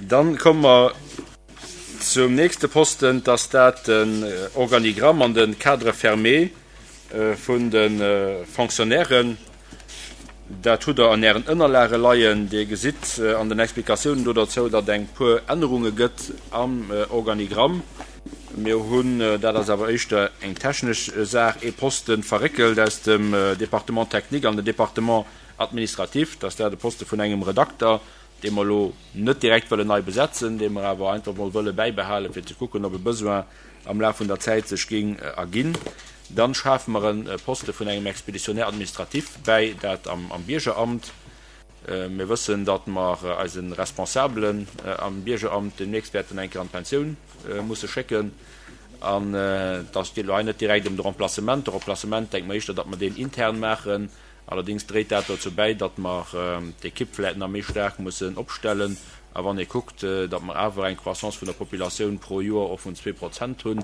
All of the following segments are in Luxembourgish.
Dann komme mer zum nächste Posten, dass dat den Organigramm an de Cadre fermé vun de Fonctionnairen. Dat hutt Der an Ären Ënnerlage leien. Dir gesitt an den Explikatiounen do derzou, datt eng puer Ännerunge gëtt am Organigramm. Mir hunn, dat ass awer éischter eng technesch Saach, ee Poste verréckelt aus dem Département technique an den Département administratif. Dat ass dat e Poste vun engem Redakter, dee mer elo net direkt wëllen nei besetzen, dee mer awer einfach mol wëlle bäibehalen, fir ze kucken, ob e Besoin am Laf vun der Zäit sech géing erginn. Dann schafe mer e Poste vun engem Expéditionnaire administratif bäi, dat am Biergeramt. Mir wëssen, datt mer eise Responsabelen am Biergeramt deemnächst wäerten eng Kéier an d'Pensioun musse schécken. An et geet elo hei net direkt ëm de Remplacement. De Remplacement, denke mer éischter, datt mer deen intern maachen. Allerdéngs dréit dat dozou bäi, datt mer d'Ekipp vläicht nach méi staark mussen opstellen. A wann ee kuckt, datt mer awer eng Croissance vun der Populatioun pro Joer och vun 2% hunn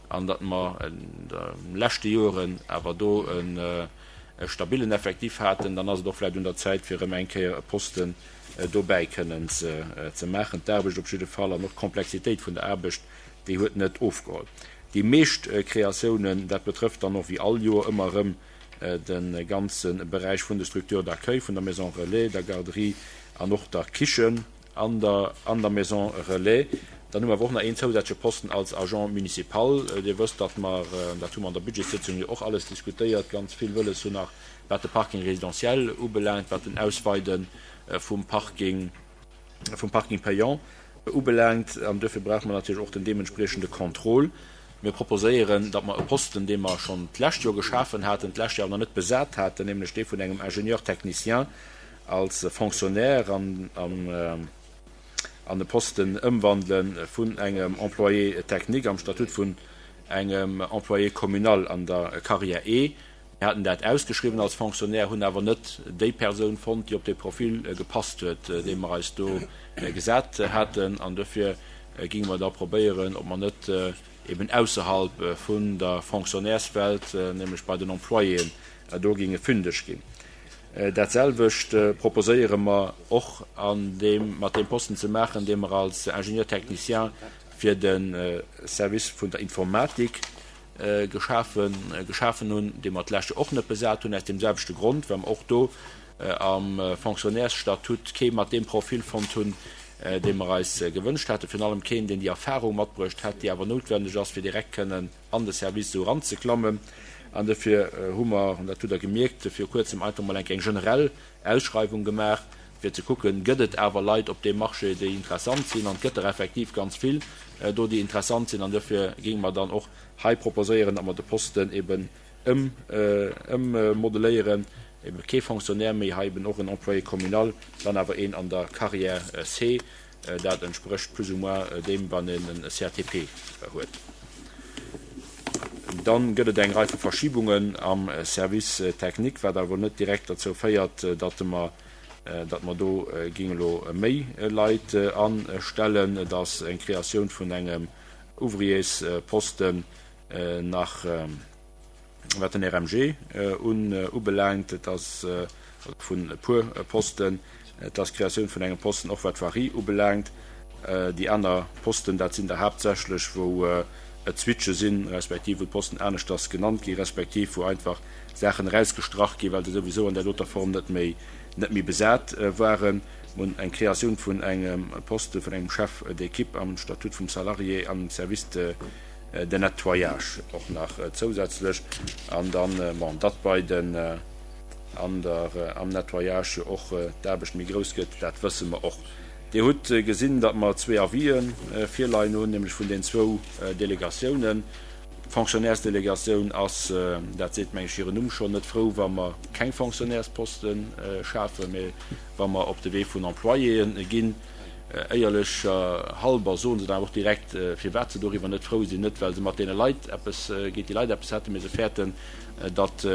an datt mer an de leschte Joren awer do e stabillen Effectif haten, dann ass et och vläicht un der Zäit, fir erëm eng Kéier e Posten dobäi kënnen ze maachen. D'Aarbecht op jidde Fall an och d'Komplexitéit vun der Aarbecht, déi huet net ofgeholl. Déi meescht Kreatiounen, dat betrëfft dann och wéi all Joer ëmmer erëm de ganze Beräich vun de Structures d'accueil, vun der Maison relais, der Garderie an och der Kichen an der an der Maison relais. Dann hu mer awer och nach een zousätzleche Posten als Agent municipal. Dir wësst, datt mer, dat hu mer an der Budgetssitzung jo och alles diskutéiert, ganz vill wëlles hunn nach wat de Parking résidentiel ubelaangt, wat den Ausweide vum Parking, vum Parking payant ubelaangt. An duerfir brauche mer natierlech och den deementspriechende Contrôle. Mir proposéieren, datt mer e Posten, dee mer schonn d'lescht Joer geschafen haten, d'lescht Joer awer nach net besat haten, nämlech dee vun engem Ingénieur technicien als Fonctionnaire an an e Posten ëmwandele vun engem Employé technique am Statut vun engem Employé communal an der Carrière E. Mir haten dat ausgeschriwwen als Fonctionnaire, hunn awer net déi Persoun fonnt, déi op dee Profil gepasst huet, dee mer eis do gesat haten. An dofir géinge mer da probéieren, ob mer net eben ausserhalb vun der Fonctionnaireswelt, nämlech bei den Employéen, do géinge fündeg ginn. Dat selwecht proposéiere mer och an deem, mat deem Posten ze maachen, dee mer als Ingénieur technicien fir de Service vun der Informatik geschafen geschafen hunn, dee mer d'lescht Joer och net besat hunn, aus deem selwechte Grond, well mer och do am Fonctionnairesstatut kee mat deem Profil fonnt hunn, dee mer eis gewënscht haten, virun allem keen, deen déi Erfahrung matbruecht hätt, déi awer noutwendeg ass, fir direkt kënnen an de Service esou eranzeklammen. An dofir hu mer, an dat hutt Der gemierkt, viru Kuerzem einfach mol eng eng generell Ausschreiwung gemaach, fir ze kucken, gëtt et awer Leit op deem Marché, déi interessant sinn. An et gëtt der effektiv ganz vill do, déi interessant sinn. An dofir géinge mer dann och hei proposéieren, datt mer de Posten eben ëmmodeléieren, eben kee Fonctionnaire méi, hei eben och en Employé communal, dann awer een an der Carrière C. Dat entsprécht plus ou moins deem, wann een e CATP huet. Dann gëtt et eng Rei vu Verschibungen am Service technique, wat awer net direkt derzou féiert, datt mer, datt mer do géinge elo méi Leit astellen. Et ass eng Kreatioun vun engem Ouvriers-Posten nach. Wat den RMG ubelaangt, et ass, oder vun e puer Posten, et ass d'Kreatioun vun engem Posten och wat d'Voirie ubelaangt. Déi aner Posten, dat sinn der haaptsächlech, wou et Switche sinn, respektiv wou d'Posten aneschters genannt ginn, respektiv wou einfach Saachen erausgestrach ginn, well se souwisou an där doter Form net méi, net méi besat waren. Mir hunn eng Kreatioun vun engem Poste vun engem Chef d'équipe am Statut vum Salarié am Service de den Nettoyage och nach zousätzlech an dann, bon, datt bei den, an der, am Nettoyage jo och d'Aarbecht méi grouss gëtt, dat wësse mer och. Dir hutt gesinn, datt mer zwee Avisë virleien hunn, nämlech vun den zwou Delegatiounen. D'Fonctionnairesdelegatioun ass, dat seet meng ech hiren Numm schonn, net frou, wa mer keng Fonctionnairesposte schafen, mä wa mer op de Wee vun Employéë ginn. Éierlecher halber soen se dann awer och direkt, firwat se doriwwer net frou sinn, net well se mat deene Leit eppes, géint déi Leit eppes hätten, mee se fäerten, datt,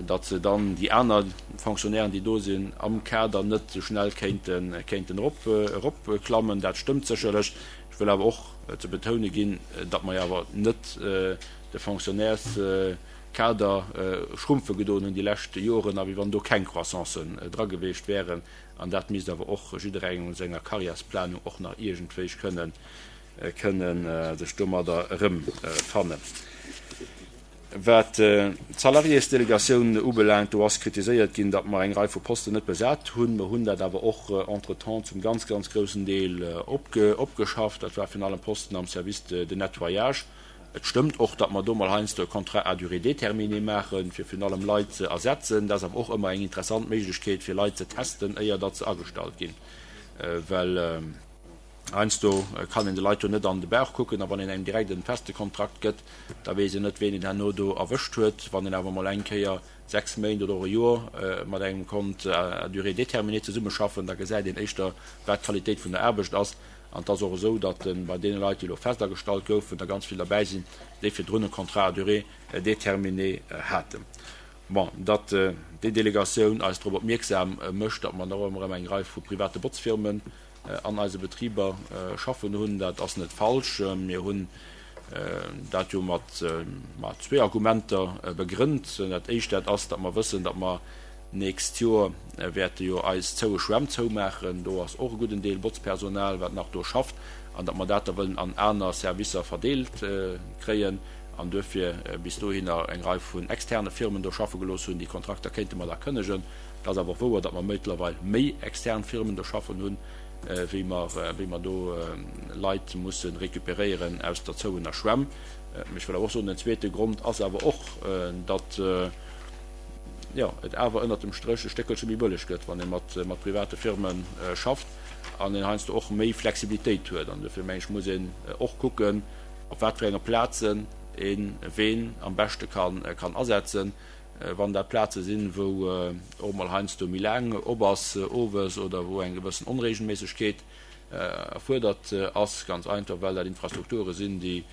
datt se dann déi aner Fonctionnairen, déi do sinn, am Kader net esou schnell kéinten, kéinten erop, eropklammen. Dat stëmmt sécherlech. Ech wëll awer och ze betoune ginn, datt mer jo awer net de Fonctionnaires. Kader schrumpfe gedoen hunn déi lescht Joren a wéi wann do keng Croissancen dra geweecht wären. An dat misst awer och jidderengem un senger Karriärsplanung och nach iergendwéi kënnen kënnen sech domadder erëmfannen. Wat d'Salariésdelegatioun ubelaangt, do ass kritiséiert ginn, datt mer eng Rei vu Posten net besat hunn. Mer hunn dat awer och entretemps zum ganz, ganz groussen Deel opgeschafft. Dat war virun allem Posten am Service de nettoyage. Et stëmmt och, datt mer do mol heiansdo e Contrat à durée déterminée maachen, fir virun allem Leit ze ersetzen. Dat ass awer och ëmmer eng interessant Méiglechkeet, fir Leit ze testen, éier datt se agestallt ginn, well Heiansdo kann een de Leit jo net an de Bauch kucken a wann een engem direkt en feste Kontrakt gëtt, da weess een net, ween een herno do erwëscht huet. Wann een awer emol eng Kéier 6 Méint oder och e Joer mat engem konnt à durée déterminée zesummeschaffen, da gesäit een éischter, wat d'Qualitéit vun der Aarbecht ass. An et ass och esou, datt bei deene Leit, déi elo fest agestallt goufen, der ganz vill derbäi sinn, déi virdrun e Contrat à durée déterminée haten. Bon, datt déi Delegatioun eis drop opmierksam mécht, datt mer nach ëmmer erëm eng Rei vu private Botzfirmen an eise Betriber schaffen hunn, dat ass net falsch. Mir hunn dat jo mat zwee Argumenter begrënnt. Dat éischt, dat ass, datt mer wëssen, datt mer d'nächst Joer wäerte jo eis zoue Schwämm zoumaachen. Do ass och e gudden Deel Botzpersonal, wat nach do schafft, an datt mer dat da wëllen an aner Servicer verdeelt kréien an duerfir bis dohinner eng Rei vun externe Firmen do schaffe gelooss hunn. Déi Kontrakter kéinte mer da kënnegen. Et ass awer och wouer, datt mer mëttlerweil méi extern Firmen do schaffen hunn, wéi mer, wéi mer do Leit musse récupéréieren aus der zouener Schwämm. Mee ech wëll awer och soen, den zweete Grond ass awer och, datt, jo, et awer ënnert dem Stréch e Stéckelche méi bëlleg gëtt, wann ee mat, mat private Firme schafft an een heiansdo och méi Flexibilitéit huet. An dofir, meng ech, muss een och kucken, op wat fir enge Plazen ee ween am beschte kann, kann asetzen. Wann dat Plaze sinn, wou och mol heiansdo méi laang op ass owes oder wou eng gewëssen Onregelméissegkeet erfuerdert ass, ganz einfach well dat Infrastrukture sinn, déi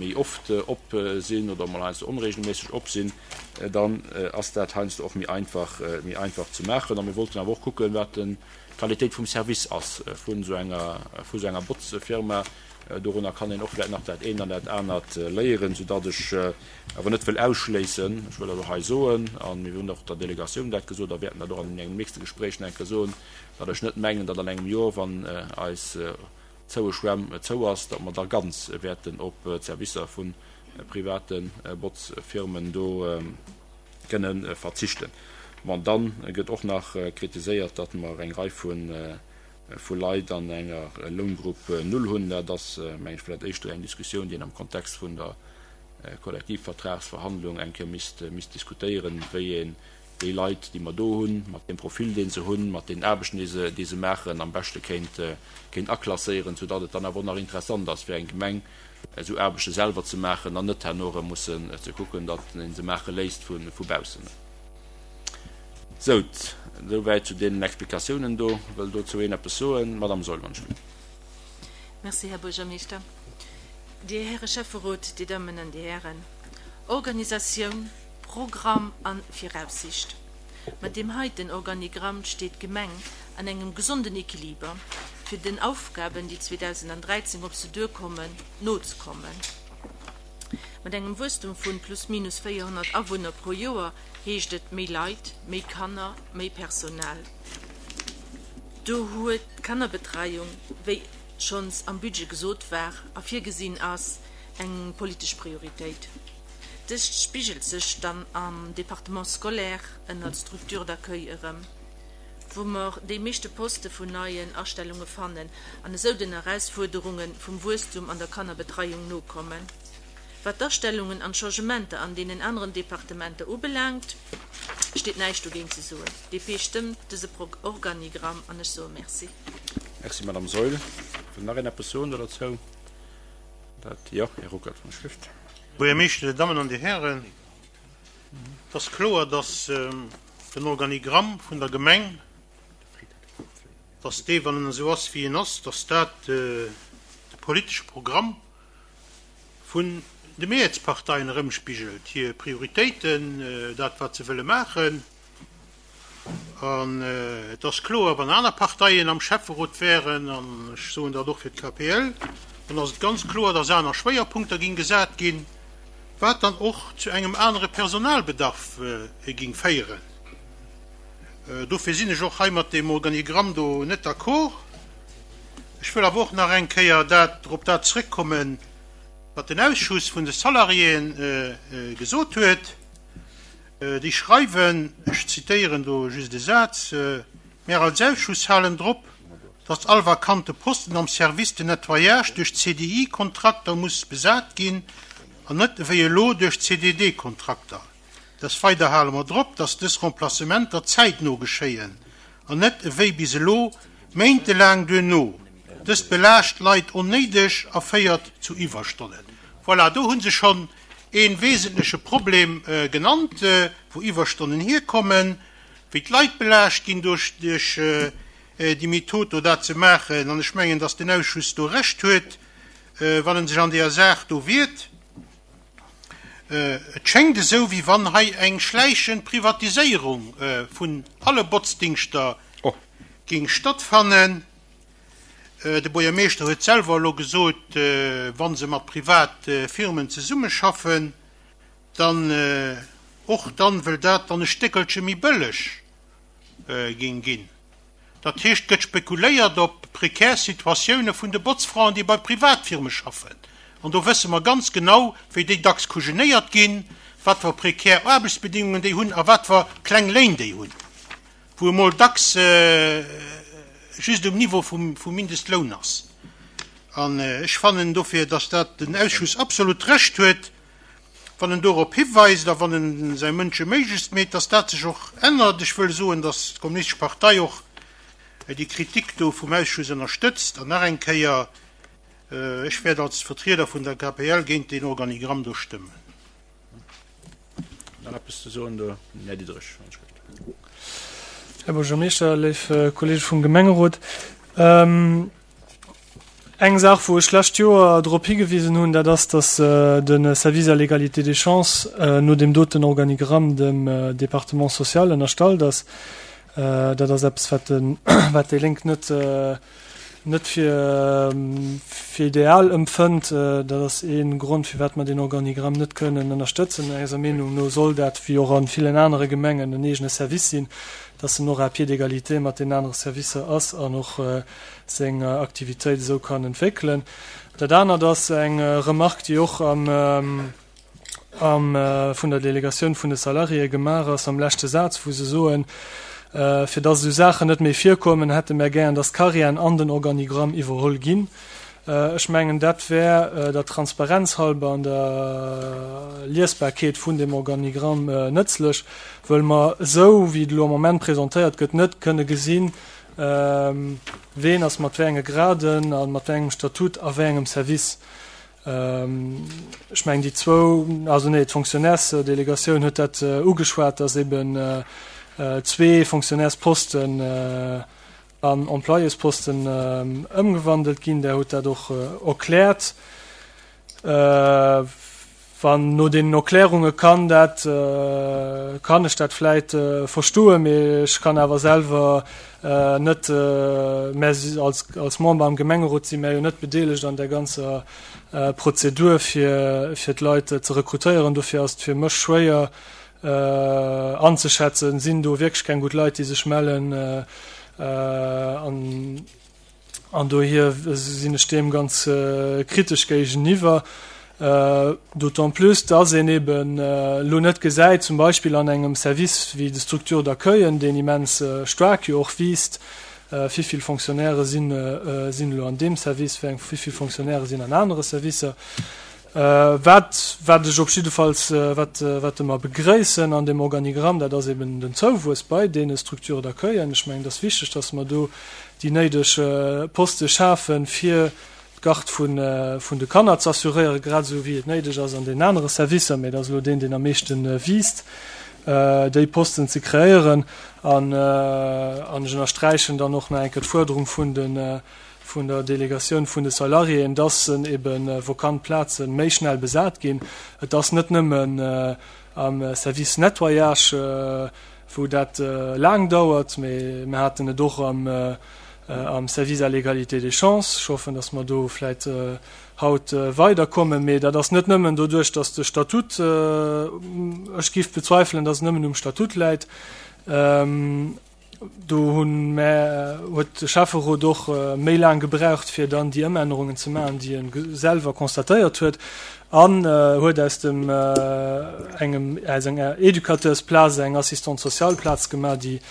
méi oft op sinn oder mol heiansdo onregelméisseg op sinn, dann ass dat heiansdo och méi einfach, méi einfach ze maachen. A mir wollten awer och kucken, wat d'Qualitéit vum Service ass vun esou enger, vu esou enger Botzfirma. Dorunner kann een och vläicht nach dat eent an dat anert léieren, soudatt ech awer net wëll ausschléissen, ech wëll dat och hei soen, a mir hunn och der Delegatioun dat gesot a wäerten dat och an engem nächste Gespréich nach eng Kéier soen, datt ech net mengen, datt an engem Joer, wann eis zoue Schwämm zou ass, datt mer da ganz wäerten op d'Servicer vu private Botzfirmen do kënne verzichten. Bon, da gëtt och nach kritiséiert, datt mer eng Rei vu Leit an enger Loungrupp null hunn. Dat ass, meng ech, vläicht éischter eng Diskussioun, déi een am Kontext vun der Kollektivvertragsverhandlung eng Kéier misst, misst diskutéieren, wéi een déi Leit, déi mer do hunn, mat deem Profil, dee se hunn, mat deenen Aarbechten, déi se, déi se maachen, am beschte kéint, kéint aklasséieren, soudatt et dann awer och nach interessant ass fir eng Gemeng, esou Aarbechte selwer ze maachen an net herno erëm mussen ze kucken, datt ee se maache léisst vu, vu baussen. Sou, esouwäit zu deenen Explikatiounen do. Wëll dozou een eppes soen? Madame Saeul, wann ech wëll. Merci, Här Buergermeeschter. Dir Häre Schäfferot, Dir Dammen an Dir Hären, Organisatioun, Programm a Viraussicht. Mat deem heiten Organigramm steet d'Gemeng an engem gesonden Equiliber, fir den Aufgaben, déi 2013 op se duerkommen, nozekommen. Mat engem Wuesstum vun plus minus 400 Awunner pro Joer heescht et méi Leit, méi Kanner, méi Personal. Do huet d'Kannerbetreiung, wéi schonns am Budget gesot war a virgesinn ass, eng politesch Prioritéit. Dëst spigelt sech dann am Département scolaire ënnert Structure d'accueil erëm, wou mer déi meeschte Poste vun neien Astellunge fannen an esou den Erausfuerderunge vum Wuesstum an der Kannerbetreiung nokommen. Wat d'Astellungen an d'Changementer an deenen aneren Departementer ubelaangt, steet näischt dogéint ze soen. DP stëmmt dëse Organigramm an ech soe Merci. Merci, Madame Saeul. Wëll nach een eppes soen do derzou? Dat, jo, Här Ruckert vun der Schrift. Buergermeeschter, Dir Dammen an Dir Hären, et ass kloer, dass den Organigramm vun der Gemeng, dass dee, wann en esou ass wéi en ass, dass dat de politesche Programm vun de Mehrheetsparteien erëmspigelt, hir Prioritéiten, dat wat se wëlle maachen. An et ass kloer, wann aner Parteien am Schäfferot wären, an ech soen dat och fir d'KPL, dann ass et ganz kloer, dass aner Schwéierpunkter ginn gesat ginn. Wat dann och zu engem anere Personalbedarf ging féieren. Dofir sinn ech och hei mat deem Organigramm do net d'accord. Ech wëll awer och nach eng Kéier dat, op dat zrëckkommen, wat den Ausschuss vun de Salariéen gesot huet. Déi schreiwen, ech zitéieren do just e Saz, Mär als Ausschuss halen drop, datt all vakante Posten am Service de nettoyage duerch CDI-Kontrakter muss besat ginn an net ewéi elo duerch CDD-Kontrakter. Des Weider hale mer drop, datt dës Remplacementer zäitno geschéien an net ewéi bis elo méintelaang duerno. Dëst belaascht d'Leit onnéideg a féiert zu Iwwerstonnen. Voilà, do hu se schonn ee wesentleche Problem genannt, wou Iwwerstonnen hierkommen, wéi d'Leit belaascht ginn duerch déi Method do dat ze maachen. An ech mengen, datt den Ausschuss do Recht huet, wann en sech an deeër Saach do wiert. Et schéngt esou, wéi wann hei eng schläichend Privatiséierung vun alle Botzdingschter géing stattfannen. De Buergermeeschter huet selwer elo gesot, wa se mat Privatfirmen zesummeschaffen, dann och dann, wëll dat dann e Stéckelche méi bëlleg géing ginn. Dat heescht, et gëtt spekuléiert op prekär Situatioune vun de Botzfraen, déi bei Privatfirme schaffen. An do wësse mer ganz genau, wéi déi dacks kujenéiert ginn, wat fir prekär Aarbechtsbedingungen déi hunn a wat fir kleng Léin déi hunn, wou emol dacks just um Niveau vum Mindestloun ass. An ech fannen dofir, dass dat den Ausschuss absolut Recht huet, wann en dorop hiweist a wann en säi Mënsche méiglechst meet, dass dat sech och ännert. Ech wëll soen, dass d'Kommunistesch Partei och déi Kritik do vum Ausschuss ënnerstëtzt. An nach eng Kéier, Ech wäert als Vertrieder vun der KPL géint deen Organigramm do stëmmen. Nach eppes ze soen do, Här Diderich? Här Buergermeeschter, léif Kollege vum Gemengerot, Eng Saach, wou ech d'lescht Joer drop higewisen hunn, dat ass, dass de Service à l'égalité des chances no deem doten Organigramm dem Département social ënnerstallt ass. Dat ass eppes, wat de, wat déi Lénk net, net fir, fir ideal empfënnt. Dat ass ee Grond, firwat mer deen Organigramm net kënnen ënnerstëtzen. Eiser Meenung no soll dat, wéi och a villen anere Gemengen, en eegene Service sinn, dass en och à pied d'égalité mat deenen anere Servicer ass an och seng Aktivitéit esou kann entwéckelen. Dat anert ass eng Remarque, déi och am, am, vun der Delegatioun vun de Salariéë gemaach ass am leschte Saz, wou se soen, fir dass esou Saachen net méi virkommen, hätte mär gären, dass d'Carrièren an den Organigramm iwwerholl ginn. Ech mengen, dat wär der Transparenz halber an der Liesbarkeet vun deem Organigramm nëtzlech, wëll mer esou, wéi et elo am Moment presentéiert gëtt, net kënne gesinn, Ween ass mat wéi enge Graden a mat wéi engem Statut a wéi engem Service? Ech mengen déi zwou, also nee, d'Fonctionnairesdelegatioun huet dat ugeschwat, datt eben zwee Fonctionnairesposten an Employésposten ëmgewandelt ginn. Der hutt dat och erkläert. Wann no deenen Erklärunge kann dat, kann ech dat vläit verstoen, mee ech kann awer selwer net, mä als, als Member am Gemengerot si mär jo net bedeelegt an där ganzer Prozedur fir, fir d'Leit ze rekrutéieren. Dofir ass et fir mech schwéier anzeschätzen, sinn do wierklech keng gutt Leit, déi sech mellen an, An dohier sinn ech deem ganz kritesch géigeniwwer, d'autant plus, dass een eben elo net gesäit, zum Beispill an engem Service wéi de Structures d'accueillen, deen immens staark jo och wiisst, wivill Fonctionnairë sinn elo an deem Service, wivill Fonctionnairë sinn an anere Servicer. Wat, wat ech op jiddefalls, wat, wat mer begréissen an deem Organigramm, dat ass eben den Zouwuess bei deene Structures d'accueillen. Ech mengen, et ass wichteg, dass mer do déi néideg Poste schafen, fir d'Garde vun, vun de Kanner ze assuréieren, grad esou wéi et néideg ass an deenen anere Servicer, mä et ass elo deen, deen am meeschte wiisst, déi Posten ze kreéieren. An, an ech ënnersträichen dann och nach eng Kéier d'Fuerderung vun de, vun der Delegatioun vun de Salariéen, dass ebe vacant Plaze méi schnell besat ginn. Et ass net nëmmen am Service Nettoyage, wou dat laang dauert, mee mir haten et och am. Am Service à l'égalité des chances. Ech hoffen, dass mer do vläit haut weiderkommen. Mee dat ass net nëmmen doduerch, dass de Statut, ech géif bezweifelen, dass et nëmmen um Statut läit. Do hu mä, huet de Schäfferot och méi laang gebraucht, fir dann déi Ëmännerungen ze maachen, déi e selwer constatéiert huet, an huet aus dem engem, aus enger Educateursplaz eng Assistante sociale Plaz gemaach, déi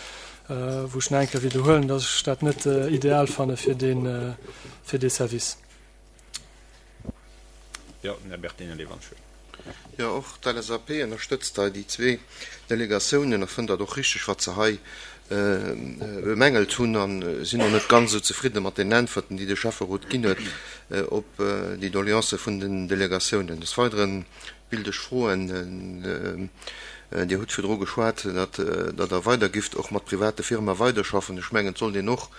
wou ech nach eng Kéier widderhuelen, dass ech dat net ideal fanne fir dee, fir dee Service. Jo, den Här Bertinelli, wann ech. Jo, och d'LSAP ënnerstëtzt hei déi zwee Delegatiounen a fënnt dat och richtig, wat se hei bemängelt hunn a sinn och net ganz esou zefridde mat den Äntwerten, déi de Schäfferot ginn huet op déi Doleancë vun den Delegatiounen. Des Weidere Willt ech froen, Dir hutt virdru geschwat, datt Der weider gifft och mat private Firme weiderschaffen. Ech mengen, et sollt een och,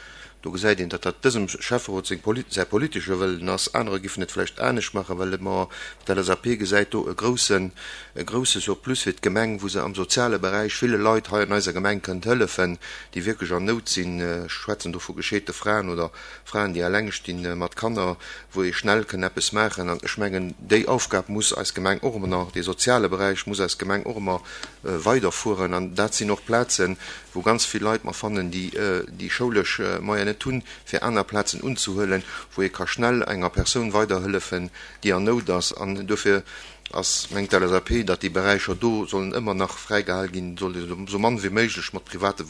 do gesäit een, datt dat dësem Schäfferot seng, säi politesche Wëllen ass, anerer giffen et vläicht anescht maachen, well et mer, d'LSAP gesäit do e groussen, e grousse Surplus fir d'Gemeng, wou se am soziale Beräich ville Leit hei an eiser Gemeng kënnt hëllefen, déi wierklech an Nout sinn. Ech schwätzen do vu gescheete Fraen oder Fraen, déi eleng stinn mat Kanner, wou ee schnell kënn eppes maachen. An ech mengen, déi Aufgab muss eis Gemeng och ëmmer nach, dee soziale Beräich muss eis Gemeng och ëmmer weiderfueren. An dat sinn och Plazen, wou ganz vill Leit mer fannen, déi déi schoulesch Moyen net hunn, fir aner Plazen unzehuelen, wou ee ka schnell enger Persoun weiderhëllefen, déi an Nout ass. An duerfir ass, mengt d'LSAP, datt déi Beräicher do sollen ëmmer nach fräigehal ginn, soll ee esou mann wéi méiglech mat private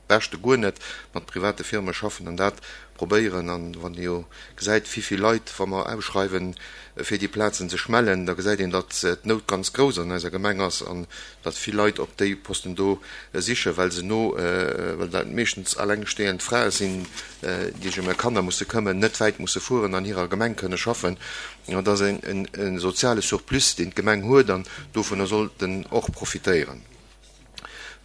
beschte guer net mat private Firme schaffen an dat probéieren. An wann ee jo gesäit, wivill Leit, wa mer ausschreiwen, fir déi Plazen sech mellen, da gesäit een, datt d'Nout ganz grouss an eiser Gemeng ass an datt vill Leit op déi Posten do sichen, well se no, well dat meeschtens allengstehend Frae sinn, déi sech ëm hir Kanner musse këmmen, net wäit musse fueren, an hirer Gemeng kënne schaffen. Dat ass e soziale Surplus, deen d'Gemeng huet an dovunner sollt en och profitéieren.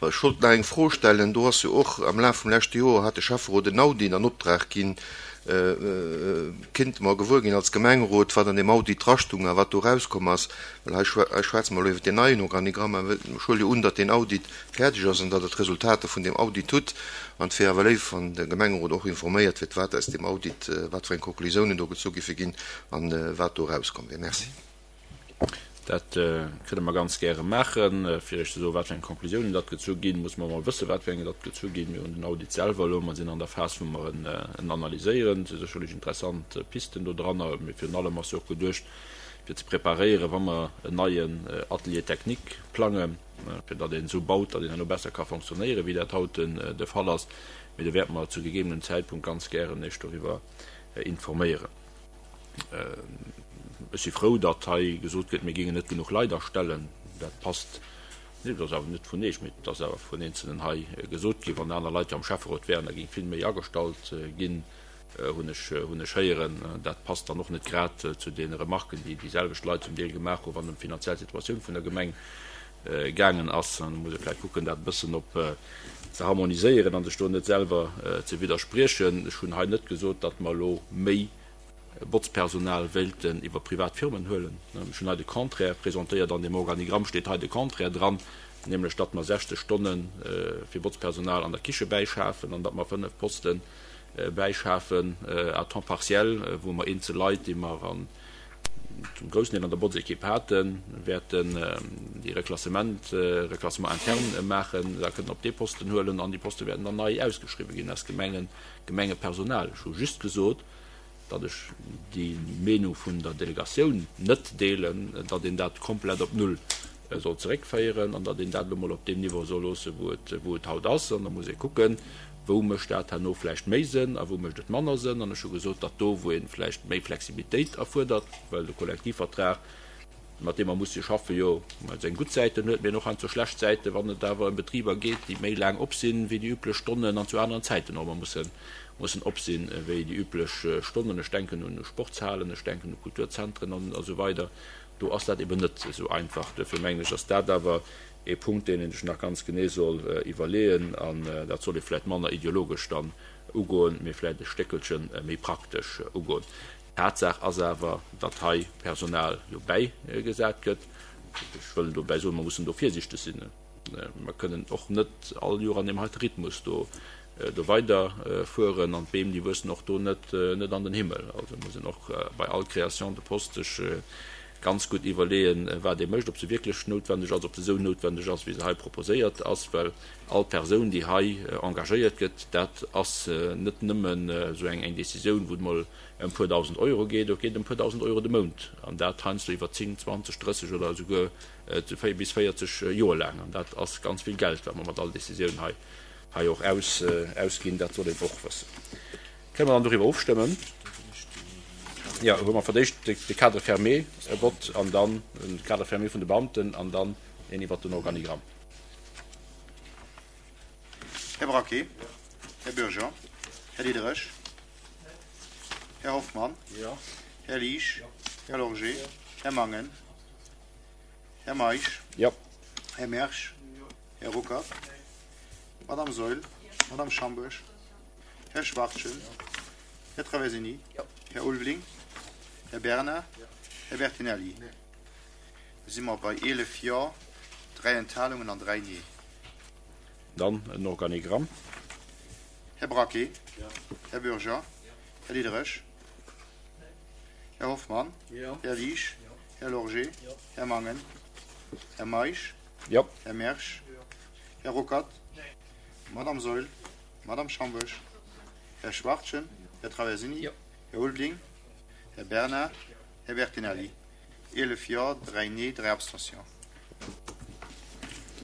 Ech wollt nach eng Fro stellen, do ass jo och am Laf vum leschte Joer hat de Schäfferot en Audit an Optrag ginn. Kinnte mer gewuer ginn als Gemengerot, wat an deem Audit drastung a wat do erauskomm ass? Well hei schwätze mer elo iwwer deen neien Organigramm, mä ech huele jo un, datt deen Audit fäerdeg ass an datt Der d'Resultater vun deem Audit hutt. An et wier awer léif, wann de Gemengerot och informéiert wier, wat aus deem Audit, wat fir eng Konklusiounen do gezu giffe ginn an wat do erauskomm wier. Merci. Dat kënne mer ganz gäre maachen. Fir Iech ze soen, wat fir eng Conclusiounen datt gezu ginn, musse mer emol wëssen, wat fir eng datt gezu ginn. Mir hunn den Audit selwer elo, mer sinn an der Phas, wou mer en analyséieren. Et si sécherlech interessant Pisten do dranner. Mee virun allem ass jo och geduecht, fir ze preparéieren, wa mer en neien Atelier technique plangen, fir datt een esou baut, datt een herno besser ka fonctionnéieren, wéi dat haut de Fall ass. Mee do wäerte mer zu gegebenem Zäitpunkt ganz gären Iech doriwwer informéieren. Ech si frou, datt hei gesot gëtt, mir géingen net genuch Leit astellen. Dat passt net, dat ass awer net vun Iech, mee dat ass awer vun Eenzelnen hei gesot ginn. Wann aner Leit jo am Schäfferot wären, da géing vill méi agestallt ginn, hunn ech, hunn ech héieren. Dat passt dann och net grad zu deene Remarken, déi déi selwecht Leit zum Deel gemaach hunn, wann et ëm d'finanziell Situatioun vun der Gemeng gaangen ass. Da muss ee vläicht kucken, dat e bëssen op ze harmoniséieren a sech do net selwer ze widderspriechen. Ech hunn hei net gesot, datt mer elo méi Botzpersonal wéilten iwwer privat Firmen huelen. Ech hunn hei de Contraire presentéiert. An deem Organigramm steet hei de Contraire dran, nämlech datt mer 60 Stonne fir Botzpersonal an der Kiche bäischafen an datt mer 5 Poste bäischafen à temps partiel, wou mer eenzel Leit, déi mer an zum groussen Deel an der Botzekipp haten, wäerten déi Reklassement, Reclassement interne maachen, da kënnen op dee Posten huelen an déi Poste wäerten dann nei ausgeschriwwen ginn aus Gemengen, Gemengepersonal. Ech hu just gesot, datt ech déi Meenung vun der Delegatioun net deelen, datt een dat komplett op Null soll zeréckféieren an datt een dat elo mol op deem Niveau soll loossen, wou et, wou et haut ass. An da muss ee kucken, Wou mécht dat herno vläicht méi Sënn a wou mécht et manner Sënn? An ech hu gesot, datt do, wou ee vläicht méi Flexibilitéit erfuerdert, well de Kollektivvertrag, mat deem mer musse schaffen, jo seng gutt Säiten huet, mee en och heiansdo schlecht Säiten, wann et awer ëm Betriber geet, déi méi laang op sinn, wéi déi üblech Stonnen an zu aneren Zäiten och ëmmer mussen, mussen op sinn, wéi déi üblech Stonnen. Ech denken un Sportshalen, ech denken u Kulturzentren an esou weider. Do ass dat eben net esou einfach. Duerfir mengen ech, ass dat awer ee Punkt, deen ee sech nach ganz genee soll iwwerleeën, an dat soll ee vläicht manner ideologesch dann ugoen, mee vläicht e Stéckelche méi praktesch ugoen. Tatsaach ass awer, datt hei Personal jo bäigesat gëtt. Ech wëll dobäi soen, mer mussen do virsichteg sinn. Mer kënnen och net all Joer an deem heite Rhythmus do. do weider fueren an d'Beem déi wuessen och do net net an den Himmel. Also muss een och bei all Création de poste sech ganz gutt iwwerleeën, wat ee mécht, ob se wierklech noutwendeg ass, ob se esou noutwendeg ass, wéi se hei proposéiert ass, well all Persoun, déi hei engagéiert gëtt, dat ass net nëmmen esou eng eng Décisioun, wou et mol ëm puer dausend Euro geet, et geet ëm puer dausend Euro de Mount, an dat heiansdo iwwer 10, 20, 30 oder esouguer bis 40 Joer laang. An dat ass ganz vill Geld, wat mer mat all Décisioun hei hei och ausginn, dat soll een och wëssen. Kënne mer dann doriwwer ofstëmmen? Jo, hu mer fir d'éischt de Cadre fermé e Vott an dann de Cadre fermé vun de Beamten an dann een iwwert den Organigramm. Här Braquet? Här Bürger? Här Diderich? Här Hoffmann? Här Liesch? Här Lorgé? Här Mangen? Här Meisch? Här Mersch? Här Ruckert? Madame Saeul? Madame Schambourg? Här Schwachtgen? Här Traversini? Här Ulveling? Här Bernard? Här Bertinelli? Da si mer bei 11 Jo, 3 Enthalungen an 3 Nee. Dann en Organigramm. Här Braquet? Här Bürger? Här Diderich? Här Hoffmann? Här Liesch? Här Lorgé? Här Mangen? Här Meisch? Här Mersch? Här Ruckert? Madame Saeul? Madame Schambourg? Här Schwachtgen? Här Traversini? Här Ulveling? Här Bernard? Här Bertinelli? 11 Jo, 3 Nee, 3 Abstentions.